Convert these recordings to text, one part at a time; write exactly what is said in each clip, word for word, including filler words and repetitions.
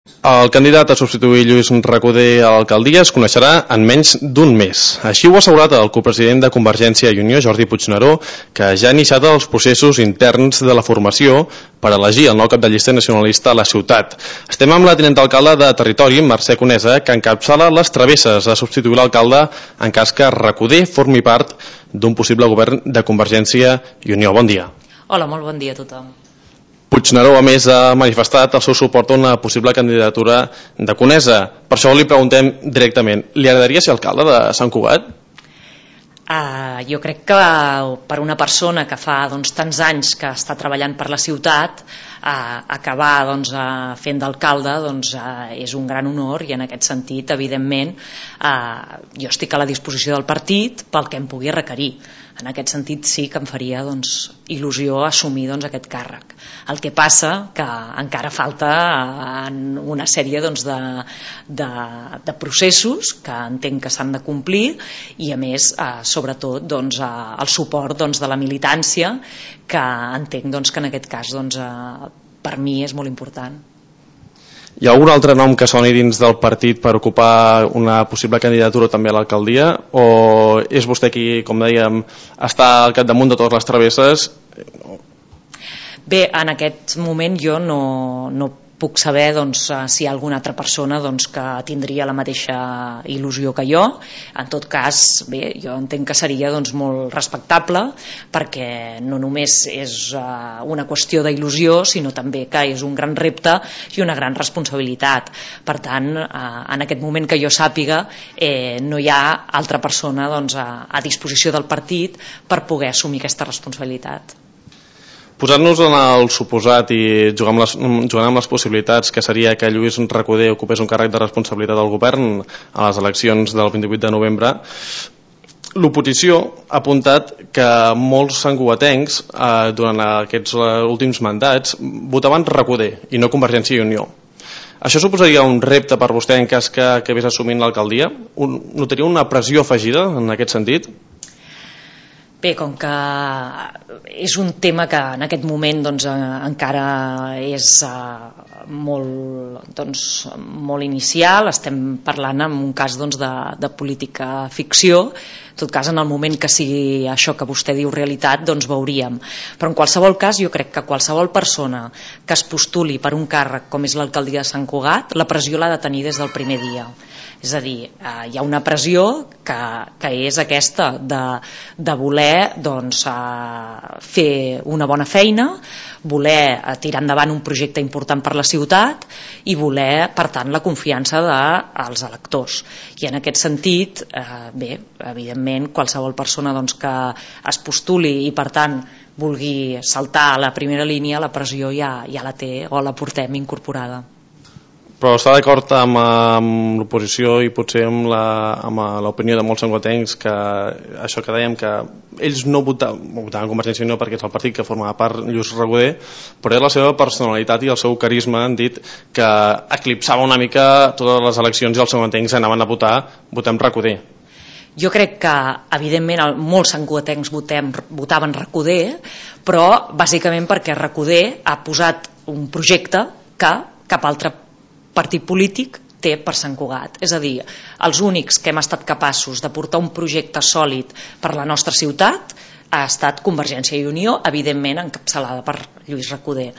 El candidat a substituir Lluís Recoder a l'alcaldia es coneixerà en menys d'un mes. Així ho ha assegurat el copresident de Convergència i Unió, Jordi Puigneró, que ja ha iniciat els processos interns de la formació per elegir el nou cap de llista nacionalista a la ciutat. Estem amb la tinent alcalde de Territori, Mercè Conesa, que encapçala les travesses a substituir l'alcalde en cas que Recoder formi part d'un possible govern de Convergència i Unió. Bon dia. Hola, molt bon dia a tothom. Puigneró, a més, ha manifestat el seu suport a una possible candidatura de Conesa. Per això li preguntem directament, li agradaria ser alcalde de Sant Cugat? Uh, jo crec que per una persona que fa doncs, tants anys que està treballant per la ciutat, uh, acabar doncs, uh, fent d'alcalde doncs, uh, és un gran honor, i en aquest sentit, evidentment, uh, jo estic a la disposició del partit pel que em pugui requerir. En aquest sentit sí que em faria doncs, il·lusió assumir doncs, aquest càrrec. El que passa que encara falta en una sèrie doncs, de, de, de processos que entenc que s'han de complir, i a més eh, sobretot doncs, eh, el suport doncs, de la militància, que entenc doncs, que en aquest cas doncs, eh, per mi és molt important. Hi ha algun altre nom que soni dins del partit per ocupar una possible candidatura també a l'alcaldia, o és vostè qui, com dèiem, està al capdamunt de totes les travesses? Bé, en aquest moment jo no, no puc saber doncs, si hi ha alguna altra persona doncs, que tindria la mateixa il·lusió que jo. En tot cas, bé, jo entenc que seria doncs, molt respectable, perquè no només és uh, una qüestió d'il·lusió, sinó també que és un gran repte i una gran responsabilitat. Per tant, uh, en aquest moment que jo sàpiga, eh, no hi ha altra persona doncs, a, a disposició del partit per poder assumir aquesta responsabilitat. Posant-nos en el suposat i jugar amb, les, jugant amb les possibilitats que seria que Lluís Recoder ocupés un càrrec de responsabilitat del govern a les eleccions del vint-i-vuit de novembre, l'oposició ha apuntat que molts santcugatencs eh, durant aquests últims mandats votaven Recoder i no Convergència i Unió. Això suposaria un repte per vostè en cas que acabés assumint l'alcaldia? Notaria una pressió afegida en aquest sentit? Bé, com que és un tema que en aquest moment doncs, encara és uh, molt, doncs, molt inicial, estem parlant en un cas doncs, de, de política ficció. En tot cas, en el moment que sigui això que vostè diu realitat, doncs veuríem. Però en qualsevol cas, jo crec que qualsevol persona que es postuli per un càrrec com és l'alcaldia de Sant Cugat, la pressió l'ha de tenir des del primer dia. És a dir, eh, hi ha una pressió que, que és aquesta de, de voler doncs, eh, fer una bona feina, voler eh, tirar endavant un projecte important per la ciutat i voler, per tant, la confiança dels electors. I en aquest sentit, eh, bé, evidentment, qualsevol persona doncs, que es postuli i, per tant, vulgui saltar a la primera línia, la pressió ja, ja la té o la portem incorporada. Però està d'acord amb, amb l'oposició i potser amb l'opinió de molts santcugatencs que això que dèiem, que ells no votaven, votaven Convergència i Unió perquè és el partit que formava part Lluís Recoder, però és la seva personalitat i el seu carisma, han dit que eclipsava una mica totes les eleccions i els santcugatencs anaven a votar votem Recoder. Jo crec que, evidentment, molts santcugatencs votaven Recoder, però bàsicament perquè Recoder ha posat un projecte que cap altre partit polític té per Sant Cugat. És a dir, els únics que hem estat capaços de portar un projecte sòlid per la nostra ciutat ha estat Convergència i Unió, evidentment encapçalada per Lluís Recoder.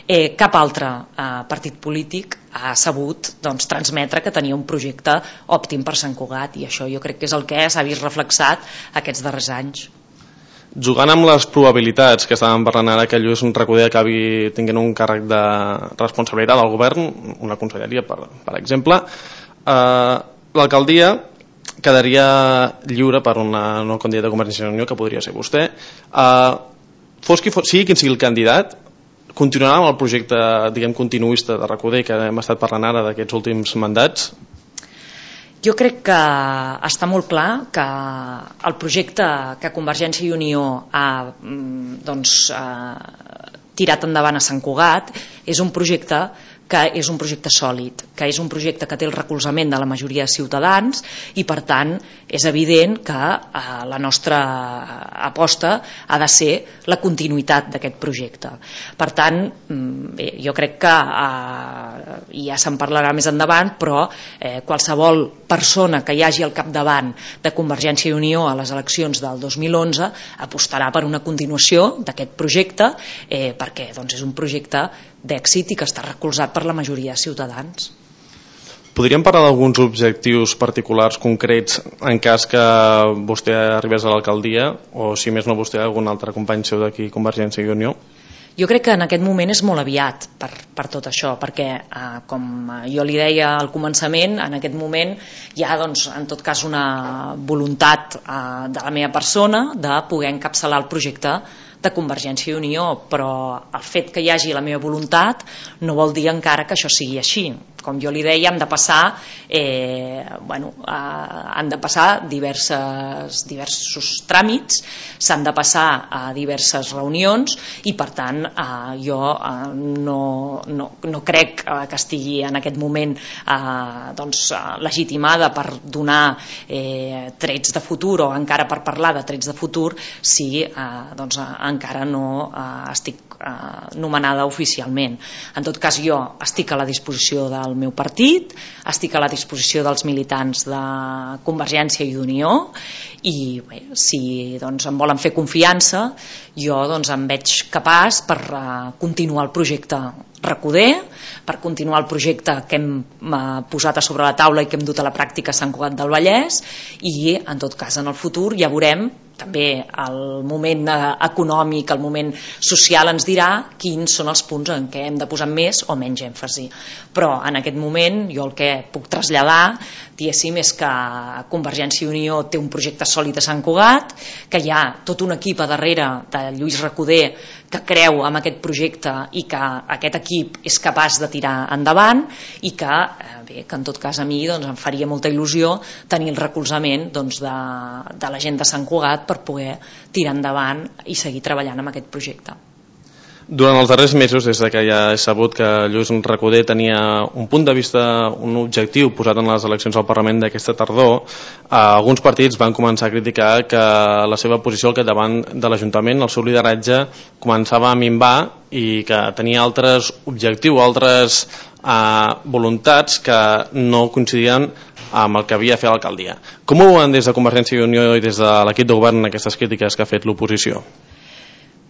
Eh, cap altre eh, partit polític ha sabut doncs, transmetre que tenia un projecte òptim per Sant Cugat, i això jo crec que és el que s'ha vist reflexat aquests darrers anys. Jugant amb les probabilitats que estàvem parlant ara que Lluís Recoder acabi tinguent un càrrec de responsabilitat al govern, una conselleria per, per exemple, eh, l'alcaldia quedaria lliure per una no candidata de Convergència i Unió, que podria ser vostè. Eh, fos qui fos, sigui quin sigui el candidat, continuarà amb el projecte, diguem, continuista de Recoder que hem estat parlant ara d'aquests últims mandats? Jo crec que està molt clar que el projecte que Convergència i Unió ha doncs, eh, tirat endavant a Sant Cugat és un projecte que és un projecte sòlid, que és un projecte que té el recolzament de la majoria de ciutadans i per tant és evident que eh, la nostra aposta ha de ser la continuïtat d'aquest projecte. Per tant, bé, jo crec que eh, ja se'n parlarà més endavant, però eh, qualsevol persona que hi hagi al capdavant de Convergència i Unió a les eleccions del dos mil onze apostarà per una continuació d'aquest projecte eh, perquè doncs, és un projecte d'èxit i que està recolzat per la majoria de ciutadans. Podríem parlar d'alguns objectius particulars concrets en cas que vostè arribés a l'alcaldia o si més no vostè algun altre company seu d'aquí Convergència i Unió? Jo crec que en aquest moment és molt aviat per, per tot això, perquè eh, com jo li deia al començament, en aquest moment hi ha doncs, en tot cas una voluntat eh, de la meva persona de poder encapçalar el projecte de Convergència i Unió, però el fet que hi hagi la meva voluntat no vol dir encara que això sigui així. Com jo li deia, han de passar, eh, bueno, eh, han de passar diverses, diversos tràmits, s'han de passar a diverses reunions i per tant eh, jo eh, no, no, no crec eh, que estigui en aquest moment eh, doncs, legitimada per donar eh, trets de futur o encara per parlar de trets de futur si eh, doncs, encara no eh, estic eh, nomenada oficialment. En tot cas, jo estic a la disposició del meu partit, estic a la disposició dels militants de Convergència i d'Unió i bé, si doncs, em volen fer confiança, jo doncs, em veig capaç per eh, continuar el projecte Recoder, per continuar el projecte que hem eh, posat a sobre la taula i que hem dut a la pràctica a Sant Cugat del Vallès i en tot cas en el futur ja veurem, també el moment econòmic, el moment social ens dirà quins són els punts en què hem de posar més o menys èmfasi. Però en aquest moment jo el que puc traslladar diguéssim és que Convergència i Unió té un projecte sòlid a Sant Cugat, que hi ha tot un equip a darrere de Lluís Recoder que creu en aquest projecte i que aquest equip és capaç de tirar endavant i que, eh, bé, que en tot cas a mi doncs, em faria molta il·lusió tenir el recolzament doncs, de, de la gent de Sant Cugat per poder tirar endavant i seguir treballant amb aquest projecte. Durant els darrers mesos, des que ja he sabut que Lluís Recoder tenia un punt de vista, un objectiu posat en les eleccions al Parlament d'aquesta tardor, eh, alguns partits van començar a criticar que la seva posició al capdavant de l'Ajuntament, el seu lideratge, començava a minvar i que tenia altres objectius, altres eh, voluntats que no coincidien amb el que havia fet l'alcaldia. Com ho veuen des de Convergència i Unió i des de l'equip de govern aquestes crítiques que ha fet l'oposició?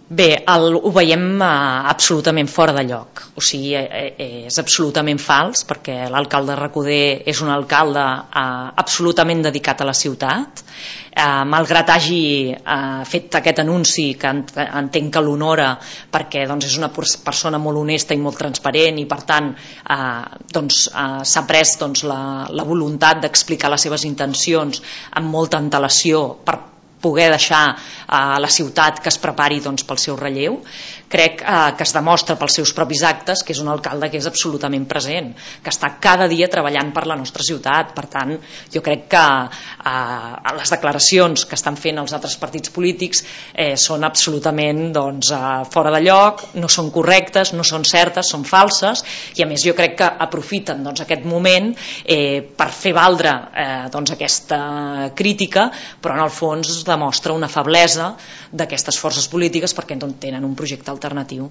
Bé, el, ho veiem eh, absolutament fora de lloc, o sigui, eh, és absolutament fals perquè l'alcalde Recoder és un alcalde eh, absolutament dedicat a la ciutat, eh, malgrat hagi eh, fet aquest anunci que entenc que l'honora perquè doncs, és una persona molt honesta i molt transparent i per tant eh, doncs, eh, s'ha pres doncs, la, la voluntat d'explicar les seves intencions amb molta antelació per poder deixar a la ciutat que es prepari doncs, pel seu relleu. Crec eh, que es demostra pels seus propis actes que és un alcalde que és absolutament present, que està cada dia treballant per la nostra ciutat. Per tant, jo crec que eh, les declaracions que estan fent els altres partits polítics eh, són absolutament doncs, eh, fora de lloc, no són correctes, no són certes, són falses i a més jo crec que aprofiten doncs, aquest moment eh, per fer valdre eh, doncs, aquesta crítica, però en el fons demostra una feblesa d'aquestes forces polítiques perquè no tenen un projecte alternatiu.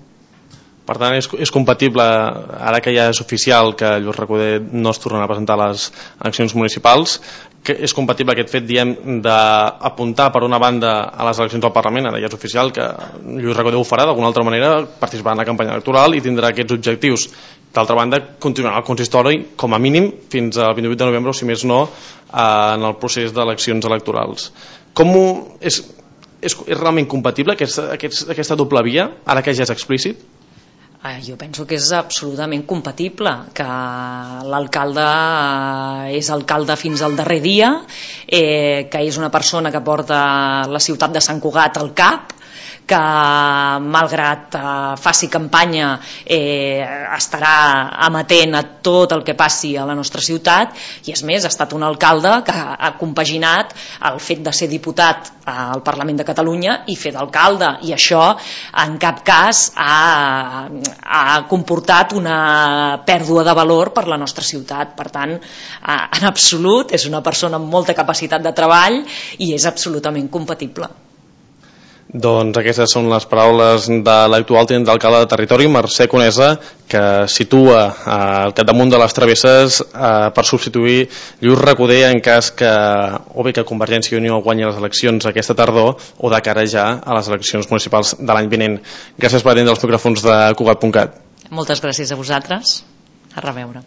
Per tant, és, és compatible, ara que ja és oficial que Lluís Recoder no es tornarà a presentar a les eleccions municipals, que és compatible aquest fet, diem, d'apuntar per una banda a les eleccions al Parlament, ara ja és oficial que Lluís Recoder ho farà d'alguna altra manera, participar en la campanya electoral i tindrà aquests objectius. D'altra banda, continuarà el consistori com a mínim fins al vint-i-vuit de novembre o si més no en el procés d'eleccions electorals. Com ho, és, és, és realment compatible aquesta, aquesta doble via, ara que ja és explícit? Jo penso que és absolutament compatible, que l'alcalde és alcalde fins al darrer dia, eh, que és una persona que porta la ciutat de Sant Cugat al cap, que malgrat eh, faci campanya eh, estarà amatent a tot el que passi a la nostra ciutat, i és més, ha estat un alcalde que ha compaginat el fet de ser diputat al Parlament de Catalunya i fer d'alcalde, i això en cap cas ha, ha comportat una pèrdua de valor per la nostra ciutat. Per tant, en absolut és una persona amb molta capacitat de treball i és absolutament compatible. Doncs aquestes són les paraules de l'actual tinent d'alcalde de Territori, Mercè Conesa, que situa eh, al capdamunt de les travesses eh, per substituir Lluís Recoder en cas que o bé que Convergència i Unió guanyi les eleccions aquesta tardor o de cara ja a les eleccions municipals de l'any vinent. Gràcies per atendre els micròfons de Cugat punt cat. Moltes gràcies a vosaltres. A reveure.